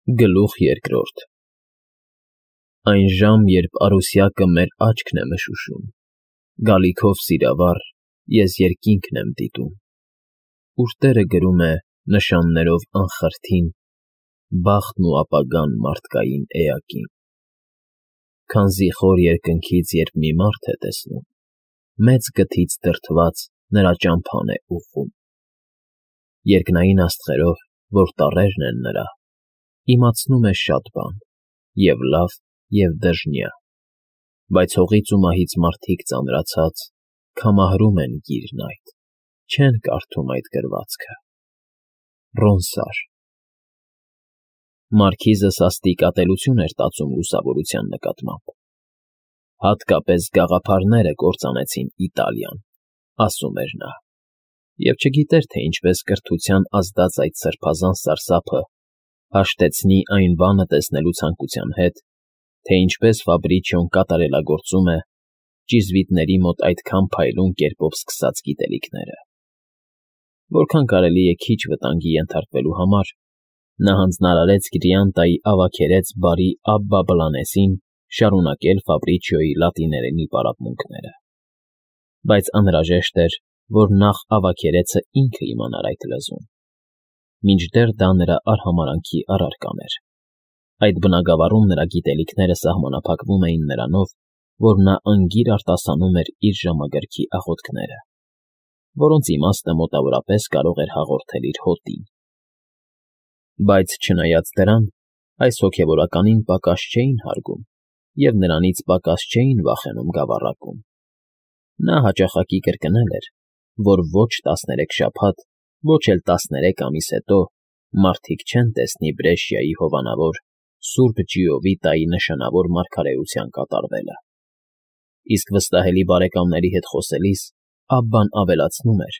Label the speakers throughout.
Speaker 1: Գլուխ երկրորդ Այն ժամ, երբ Արուսյակը մեր աչքն է մշուշում, Գալիքով սիրավառ, ես երկինքն եմ դիտում, Ուր տերը գրում է նշաններով անխրթին Բախտն ու ապագան մարդկային էակին, Քանզի խոր երկնքից երբ մի մարդ է տեսնում, Մեծ գթից դրդված նրա ճամփան է ուղղում, Երկնային աստղերով, որ տառերն են նրա, Իմացնում է շատ բան, և լավ, և դժնյա, Բայց հողից ու մահից մարդիկ ծանրացած Քամահրում են գիրն այդ, չեն կարդում այդ գրվածքը։ Ռոնսար Մարքիզը սաստիկ ատելություն էր տածում լուսավորության նկատմամբ։ Հատկապես գաղափարները կործանեցին Իտալիան, ասում էր նա, և չգիտեր, թե ինչպես կրթության ազդած այդ սրբազան սարսափը հաշտեցնի այն բանը տեսնելու ցանկության հետ, թե ինչպես Ֆաբրիչիոն կատարելագործում է ճիզվիտների մոտ այդքան փայլուն կերպով սկսած գիտելիքները։ Որքան կարելի է քիչ վտանգի ենթարկվելու համար, նա հանձնարարեց Գրիանտայի ավագերեց բարի Աբբա Բլանեսին շարունակել Ֆաբրիչիոյի լատիներենի պարապմունքները, բայց անհրաժեշտ էր, որ նախ ավագերեցը ինքը իմանար այդ լեզուն, մինչդեռ դա նրա արհամարհանքի առարկան էր։ Այդ բնագավառում նրա գիտելիքները սահմանափակվում էին նրանով, որ նա անգիր արտասանում էր իր ժամագրքի աղոթքները, որոնց իմաստը մոտավորապես կարող էր հաղորդել իր հոտին։ Բայց չնայած դրան, այս հոգևորականին պակաս չէին հարգում և նրանից պակաս չէին վախենում գավառակում։ Նա հաճախակի կրկնել էր, որ ոչ 13 շաբաթ, ոչ էլ 13 ամիս հետո մարդիկ չեն տեսնի Բրեշիայի հովանավոր Սուրբ Ջիովիտայի նշանավոր մարգարեության կատարվելը։ Իսկ վստահելի բարեկամների հետ խոսելիս Աբբան ավելացնում էր,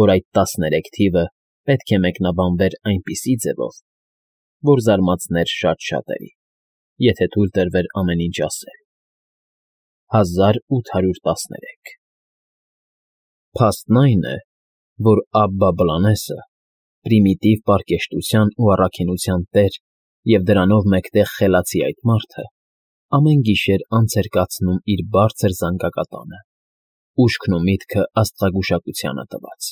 Speaker 1: որ այդ 13 թիվը պետք է մեկնաբանվեր այնպիսի ձևով, որ զարմացներ շատ շատերի, եթե թույլ տրվեր ամեն ինչ ասել։ 1813 Փաստն այն է, որ Աբբա Բլանեսը, պրիմիտիվ պարկեշտության ու առաքինության տեր և դրանով մեկտեղ խելացի այդ մարդը, ամեն գիշեր անց էր կացնում իր բարձր զանգակատանը, ուշքն ու միտքը աստղագուշակությանը տված։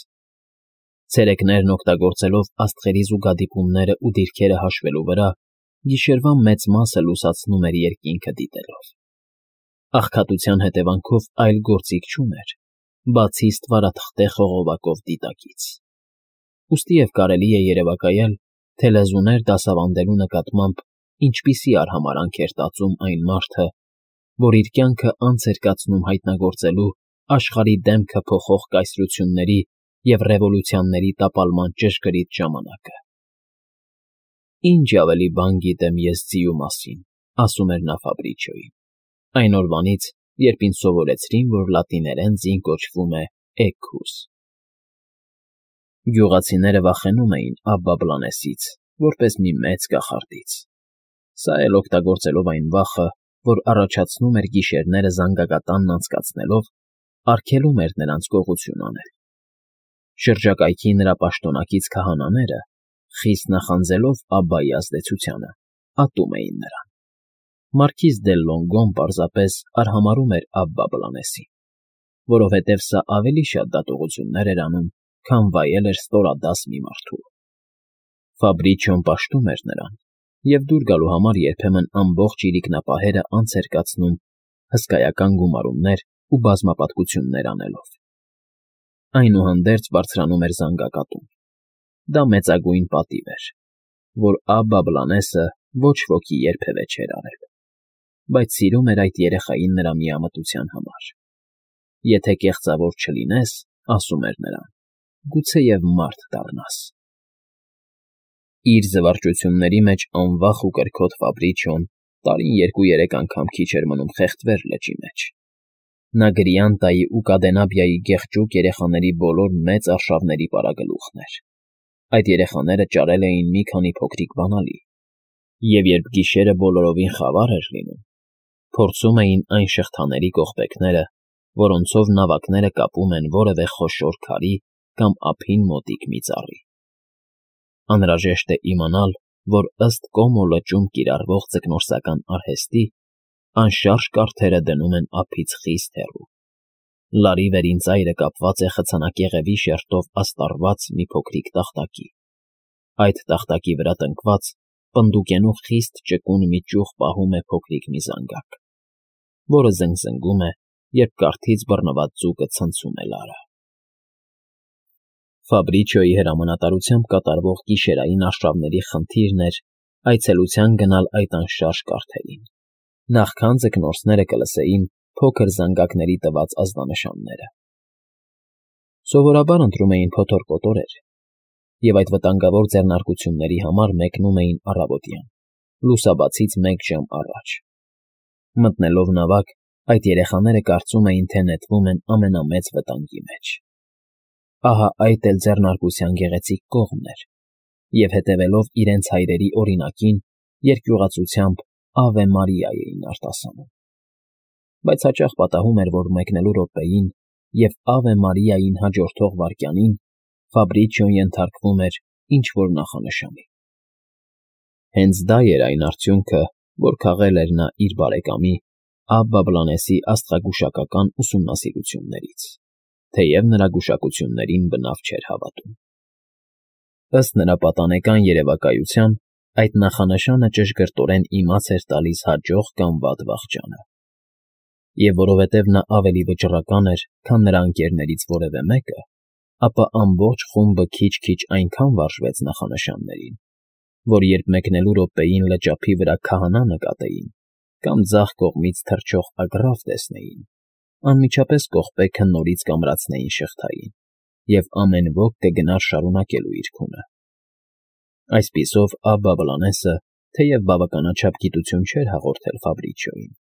Speaker 1: Ցերեկներն օգտագործելով աստղերի զուգադիպումները ու դիրքերը հաշվելու վրա, գիշերվա մեծ մասը լուսացնում էր երկինքը դիտելով։ Աղքատության հետևանքով այլ գործիք չուներ, բացի ստվարաթղթե խողովակով դիտակից։ Ուստի և կարելի է երևակայել, թե լեզուներ դասավանդելու նկատմամբ ինչպիսի արհամարհանք էր տածում այն մարդը, որ իր կյանքը անց էր կացնում հայտնագործելու աշխարհի դեմքը փոխող կայսրությունների և ռևոլյուցիաների տապալման ճշգրիտ ժամանակը։ Ինչ ավելի բան գիտեմ ես ձիու մասին, ասում էր նա Ֆաբրիչիոյին, այն օրվանից, երբ ինձ սովորեցրին, որ լատիներեն ձին կոչվում է Էքուս։ Գյուղացիները վախենում էին Աբբա Բլանեսից, որպես մի մեծ կախարդից։ Սա էլ օգտագործելով այն վախը, որ առաջացնում էր գիշերները զանգակատանն անցկացնելով, արգելում էր նրանց գողություն անել։ Շրջակայքի նրա պաշտոնակից քահանաները, խիստ նախանձելով Աբբայի ազդեցությանը, ատում էին նրան։ Մարքիզ դե Լոնգոն պարզապես արհամարհում էր Աբբա Բլանեսին, որովհետև սա ավելի շատ դատողություններ էր անում, քան վայել էր ստորադաս մի մարդու։ Ֆաբրիչիոն պաշտում էր նրան և դուր գալու համար երբեմն ամբողջ իրիկնապահերը անց էր կացնում հսկայական գումարումներ ու բազմապատկություններ անելով։ Այնուհանդերձ բարձրանում էր զանգակատուն։ Դա մեծագույն պատիվ էր, որ Աբբա Բլանեսը ոչ ոքի երբևէ չէր արել, բայց սիրում էր այդ երեխային նրա միամտության համար։ Եթե կեղծավոր չլինես, ասում էր նրան, գուցեև մարդ դառնաս։ Իր զվարճությունների մեջ անվախ ու կրքոտ Ֆաբրիչիոն տարին 2-3 անգամ քիչ էր մնում խեղդվեր լճի մեջ։ Նա Գրիանտայի ու Կադենաբիայի գեղջուկ երեխաների բոլոր մեծ արշավների պարագլուխն էր։ Այդ երեխաները ճարել էին մի քանի փոքրիկ բանալի, և երբ գիշերը բոլորովին խավար էր լինում, փորձում էին այն շղթաների կողպեքները, որոնցով նավակները կապում են որևէ խոշոր քարի կամ ափին մոտիկ մի ծառի։ Անհրաժեշտ է իմանալ, որ ըստ Կոմո լճում կիրառվող ձկնորսական արհեստի, անշարժ կարթերը դնում են ափից խիստ հեռու։ Լարի վերին ծայրը կապված է խցանակեղևի շերտով աստառված մի փոքրիկ տախտակի։ Այդ տախտակի վրա տնկված պնդուկենու խիստ ճկուն մի ճյուղ պահում է փոքրիկ մի զանգակ, որը զնգզնգում է, երբ կարթից բռնված ձուկը ցնցում է Լարը։ Ֆաբրիչիոյի հրամանատարությամբ կատարվող գիշերային արշավների խնդիրն էր այցելության գնալ այդ անշարժ կարթերին, նախքան ձկնորսները կլսեին փոքր զանգակների տված ազդանշանները։ Սովորաբար ընտրում էին փոթոր-կոտորեր և այդ վտանգավոր ձեռնարկությունների համար մեկնում էին առավոտյան, լուսաբացից մեկ ժամ առաջ։ Մտնելով նավակ, այդ երեխաները կարծում էին, թե նետվում են ամենամեծ վտանգի մեջ։ Ահա այդ էլ ձեռնարկության գեղեցիկ կողմն էր, և հետևելով իրենց հայրերի օրինակին, երկյուղածությամբ «Ավե Մարիա» էին արտասանում։ Բայց հաճախ պատահում էր, որ մեկնելու րոպեին և «Ավե Մարիային» հաջորդող վայրկյանին Ֆաբրիչիոն ենթարկվում էր ինչ֊որ նախանշանի։ Հենց դա էր այն արդյունքը, որ քաղել էր նա իր բարեկամի Աբբա Բլանեսի աստղագուշակական ուսումնասիրություններից, թեև նրա գուշակություններին բնավ չէր հավատում։ Ըստ նրա պատանեկան երևակայության, այդ նախանշանը ճշգրտորեն իմաց էր տալիս հաջող կամ վատ վախճանը։ Եվ որովհետև նա ավելի վճռական էր, քան նրա ընկերներից որևէ մեկը, ապա ամբողջ խումբը քիչ-քիչ այնքան վարժվեց նախանշաններին, որ երբ մեկնելու րոպեին լճափի վրա քահանա նկատեին կամ ձախ կողմից թռչող ագռավ տեսնեին, անմիջապես կողպեքը նորից կամրացնեին շղթային, և ամեն ոք կգնար շարունակելու իր քունը։ Այսպիսով Աբբա Բլանեսը, թեև բավականաչափ գիտություն չէր հաղորդել Ֆաբրիչիոյին,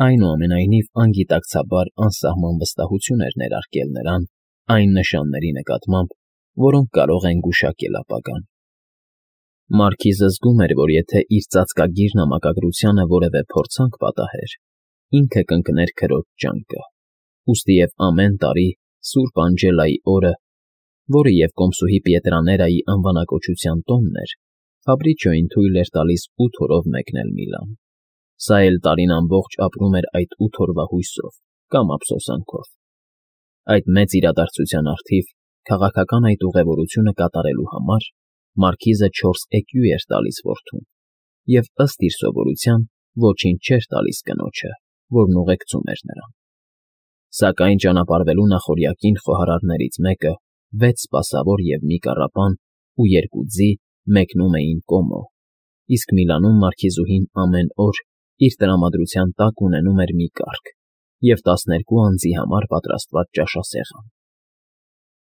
Speaker 1: այնուամենայնիվ անգիտակցաբար անսահման վստահություն էր ներարկել նրան այն նշանների նկատմամբ, որոնք կարող են գուշակել ապագան։ Մարքիզը զգում էր, որ եթե իր ծածկագիր նամակագրությանը որևէ փորձանք պատահեր, ինքը կընկներ քրոջ ջանքը, ուստի և ամեն տարի Սուրբ Անջելայի օրը, որը և կոմսուհի Պիետրաներայի անվանակոչության տոնն էր, Ֆաբրիչիոյին թույլ էր տալիս 8 օրով մեկնել Միլան։ Սա էլ տարին ամբողջ ապրում էր այդ 8 օրվա հույսով կամ ափսոսանքով։ Այդ մեծ իրադարձության առթիվ քաղաքական այդ ուղևորությունը կատարելու համար մարքիզը 4 էկյու էր տալիս որդուն և ըստ իր սովորության ոչինչ չէր տալիս կնոջը, որն ուղեկցում էր նրան։ Սակայն ճանապարհվելու նախօրյակին խոհարարներից մեկը 6 սպասավոր և մի կառապան ու 2 ձի մեկնում էին Կոմո, իսկ Միլանում մարքիզուհին ամեն օր իր տրամադրության տակ ունենում էր մի կառք և 12 անձի համար պատրաստված ճաշասեղան։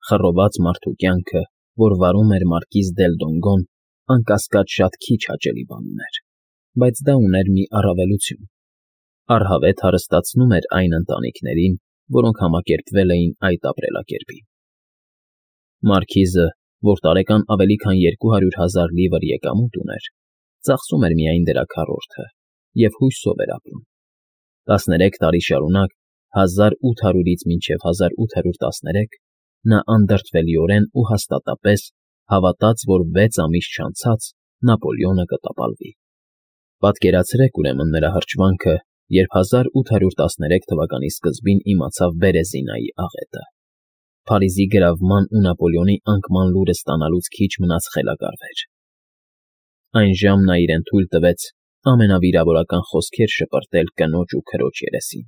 Speaker 1: Խռոված մարդու կյանքը, որ վարում էր մարկիզ դել Դոնգոն, անկասկած շատ քիչ հաճելի բան ուներ, բայց դա ուներ մի առավելություն. առհավետ հարստացնում էր այն ընտանիքներին, որոնք համակերպվել էին այդ ապրելակերպին։ Մարքիզը, որ տարեկան ավելի քան 200,000 լիվր եկամուտ ուներ, ծախսում էր միայն դրա քառորդը և հույսով էր ապրում։ 13 տարի շարունակ, 1800-ից մինչև 1813, նա անդրդվելիորեն ու հաստատապես հավատաց, որ 6 ամիս չանցած Նապոլեոնը կտապալվի։ Պատկերացրեք ուրեմն նրա հրճվանքը, երբ 1813 թվականի սկզբին իմացավ Բերեզինայի աղետը։ Փարիզի գրավման ու Նապոլեոնի անկման լուրը ստանալուց քիչ մնաց խելագարվեր։ Այն ժամ նա իրեն թույլ տվեց ամենավիրավորական խոսքեր շպրտել կնոջ ու քրոջ երեսին։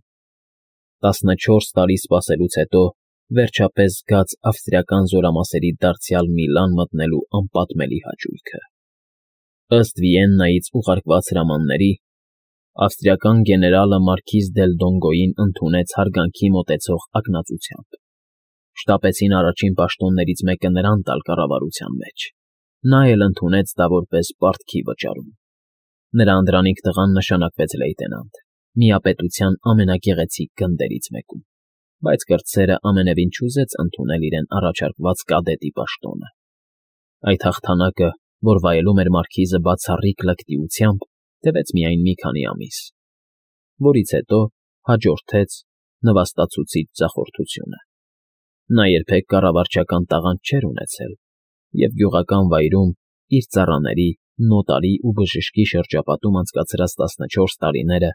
Speaker 1: 14 տարի սպասելուց հետո վերջապես զգաց ավստրիական զորամասերի դարձյալ Միլան մտնելու անպատմելի հաճույքը։ Ըստ Վիեննայից ուղարկված հրամանների, ավստրիական գեներալը մարքիզ դել Դոնգոյին ընդունեց հարգանքի մոտեցող ակնածությամբ։ Շտապեցին առաջին պաշտոններից մեկը նրան տալ կառավարության մեջ։ Նա էլ ընդունեց դա որպես պարտքի վճարում։ Նրա անդրանիկ տղան նշանակվեց լեյտենանտ, միապետության ամենագեղեցիկ գնդերից մեկում, բայց կրտսերը ամենևին չուզեց ընդունել իրեն առաջարկված կադետի պաշտոնը։ Այդ հաղթանակը, որ վայելում էր մարքիզը բացառիկ լկտիությամբ, տևեց միայն մի քանի ամիս, որից հետո հաջորդեց նվաստացուցիչ ձախորդությունը։ Նա երբեք կառավարչական տաղանդ չէր ունեցել և գյուղական վայրում իր ծառաների նոտարի ու բժշկի շրջապատում անցկացրած 14 տարիները,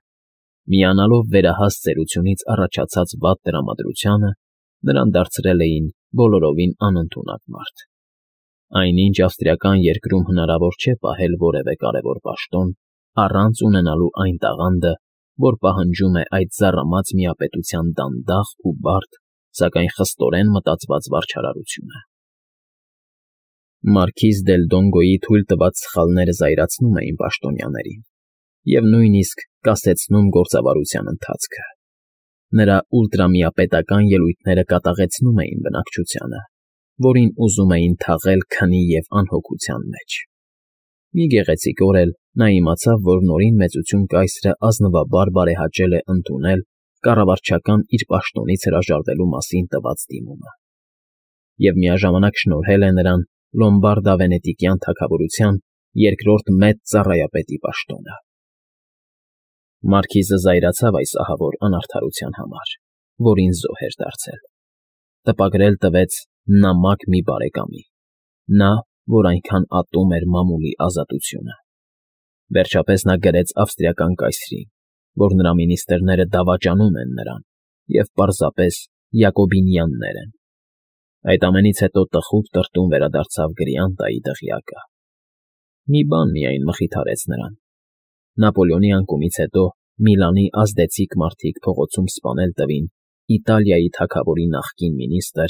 Speaker 1: միանալով վերահաս ծերությունից առաջացած վատ տրամադրությանը, նրան դարձրել էին բոլորովին անընդունակ մարդ։ Այնինչ ավստրիական երկրում հնարավոր չէ պահել որևէ կարևոր պաշտոն, առանց ունենալու այն տաղանդը, որ պահանջում է այդ ծառամած միապետության դանդաղ ու բարդ, սակայն խստորեն մտածված վարչարարությունը։ Մարքիզ դել Դոնգոյի թույլ տված սխալները զայրացնում էին պաշտոնյաներին և նույնիսկ կասեցնում գործավարության ընթացքը։ Նրա ուլտրամիապետական ելույթները կատաղեցնում էին բնակչությանը, որին ուզում էին թաղել քնի և անհոգության մեջ։ Մի գեղեցիկ օր էլ նա իմացավ, որ նորին մեծություն կայսրը ազնվաբար բարեհաճել է ընդունել կառավարչական իր պաշտոնից հրաժարվելու մասին տված դիմումը և միաժամանակ շնորհել է նրան Լոմբարդ-Ավենետիկյան թագավորության երկրորդ մեծ ծառայապետի պաշտոնը։ Մարքիզը զայրացավ այս ահավոր անարդարության համար, որին զոհ էր դարձել։ Տպագրել տվեց նամակ մի բարեկամի, նա, որ այնքան ատում էր մամուլի ազատությունը։ Վերջապես նա գրեց ավստրիական կայսրին, որ նրա մինիստրները դավաճանում են նրան և պարզապես յակոբինյաններ են։ Այդ ամենից հետո տխուր տրտում վերադարձավ Գրիանտայի դղյակը։ Մի բան միայն մխիթարեց նրան. Նապոլեոնի անկումից հետո Միլանի ազդեցիկ մարդիկ փողոցում սպանել տվին Իտալիայի թագավորի նախկին մինիստրը,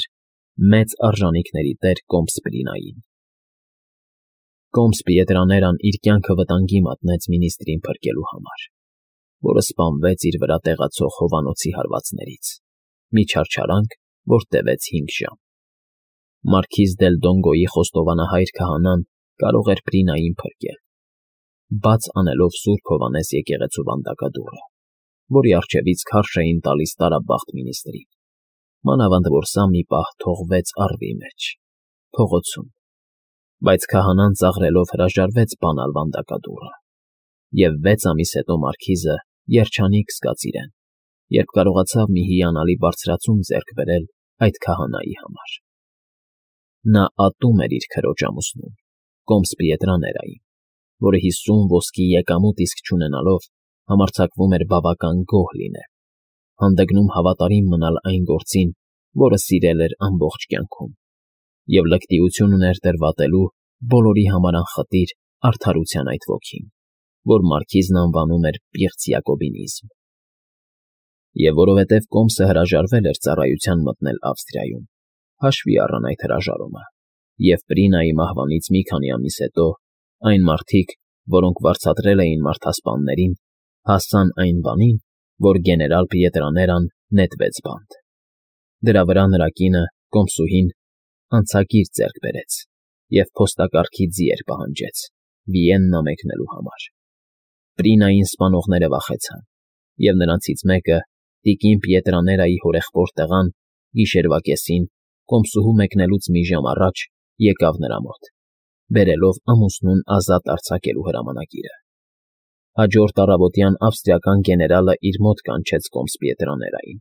Speaker 1: մեծ արժանիքների տեր Կոմսպրինային։ Կոմս Պիետրաներան իր կյանքը վտանգի մատնեց մինիստրին փրկելու համար, որը սպանվեց իր վրա տեղացող հովանոցի հարվածներից, մի չարչարանք, որ տևեց 5 ժամ։ Մարքիզ դել Դոնգոյի խոստովանահայր քահանան կարող էր Պրինային փրկել, բաց անելով Սուրբ Հովհաննես եկեղեցու վանդակադուռը, որի առջևից քարշ էին տալիս տարաբախտ մինիստրին, մանավանդ որ սա մի պահ թողվեց առվի մեջ, փողոցում, բայց քահանան ծաղրելով հրաժարվեց բանալ վանդակադուռը, և 6 ամիս հետո մարքիզը երջանիկ զգաց իրեն, երբ կարողացավ մի հիանալի բարձրացում ձեռք բերել այդ քահանայի համար։ Նա ատում էր իր քրոջ ամուսնուն, Կոմս Պիետրաներային, որը 50 ոսկի եկամուտ իսկ չունենալով համարձակվում էր բավական գոհ լինել, հանդգնում հավատարիմ մնալ այն գործին, որը սիրել էր ամբողջ կյանքում, և լկտիություն ուներ տրվատելու բոլորի համար անխտիր արդարության այդ ոգին, որ մարքիզն անվանում էր պիղծ յակոբինիզմ։ Եվ որովհետև Կոմսը հրաժարվել էր ծառայության մտնել Ավստրիայում, հաշվի առան այդ հրաժարումը, և Պրինայի մահվանից մի քանի ամիս հետո այն մարդիկ, որոնք վարձատրել էին մարդասպաններին, հասան այն բանին, որ գեներալ Պիետրաներան նետվեց բանտ։ Դրա վրա նրա կինը, Կոմսուհին, անցագիր ձեռք բերեց և փոստակարգի ձիեր պահանջեց Վիեննա մեկնելու համար։ Պրինային սպանողները վախեցան, և նրանցից մեկը, տիկին Պիետրաներայի հորեղբոր տղան, գիշերվա կեսին, Կոմսուհու մեկնելուց մի ժամ առաջ եկավ նրա մոտ, բերելով ամուսնուն ազատ արձակելու հրամանագիրը։ Հաջորդ առավոտյան ավստրիական գեներալը իր մոտ կանչեց Կոմս Պիետրաներային,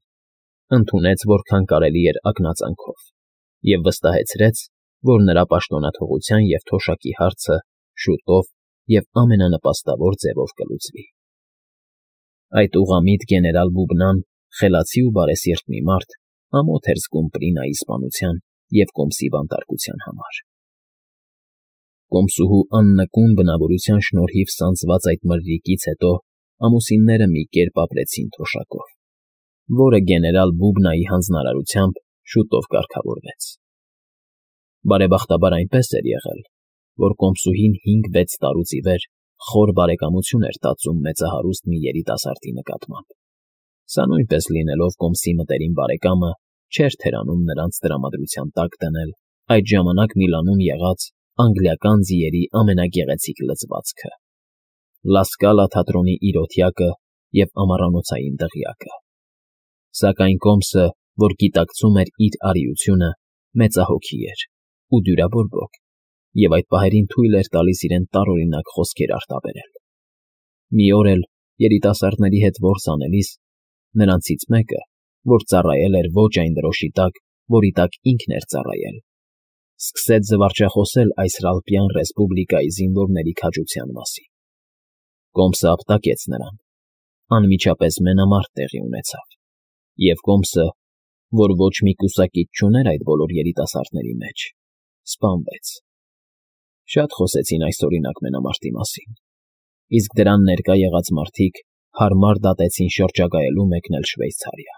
Speaker 1: ընդունեց որքան կարելի էր ակնածանքով և վստահեցրեց, որ նրա պաշտոնաթողության և թոշակի հարցը շուտով և ամենանպաստավոր ձևով կլուծվի։ Այդ ուղղամիտ գեներալ Բուբնան, խելացի ու բարեսիրտ մի մարդ, ամոթ էր զգում Պրինայի սպանության և Կոմսի բանտարկության համար։ Կոմսուհու աննկուն բնավորության շնորհիվ սանձված այդ մրրիկից հետո ամուսինները մի կերպ ապրեցին թոշակով, որը գեներալ Բուբնայի հանձնարարությամբ շուտով կարգավորվեց։ Բարեբախտաբար այնպես էր եղել, որ Կոմսուհին 5-6 տարուց ի վեր խոր բարեկամություն էր տածում մեծահարուստ մի երիտասարդի նկատմամբ։ Սա նույնպես լինելով Կոմսի մտերիմ բարեկամը, չէր թերանում նրանց տրամադրության տակ դնել այդ ժամանակ Միլանում եղած անգլիական ձիերի ամենագեղեցիկ լծվածքը՝ Լա Սկալա թատրոնի իրոթյակը և ամառանոցային դղյակը։ Սակայն Կոմսը, որ գիտակցում էր իր արիությունը, մեծահոգի էր ու դյուրաբորբոք, և այդ պահերին թույլ էր տալիս իրեն տարօրինակ խոսքեր արտաբերել։ Մի օր էլ, երիտասարդների հետ որս անելիս, նրանցից մեկը, որ ծառայել էր ոչ այն դրոշի տակ, որի տակ ինքն էր ծառայել, սկսեց զվարճախոսել Այսրալպյան ռեսպուբլիկայի զինվորների քաջության մասին։ Կոմսը ապտակեց նրան, անմիջապես մենամարտ տեղի ունեցավ, և Կոմսը, որ ոչ մի կուսակից չուներ այդ բոլոր երիտասարդների մեջ, սպանվեց։ Շատ խոսեցին այսօրինակ մենամարտի մասին, իսկ դրան ներկա եղած մարդիկ հարմար դատեցին շրջագայելու մեկնել Շվեյցարիա։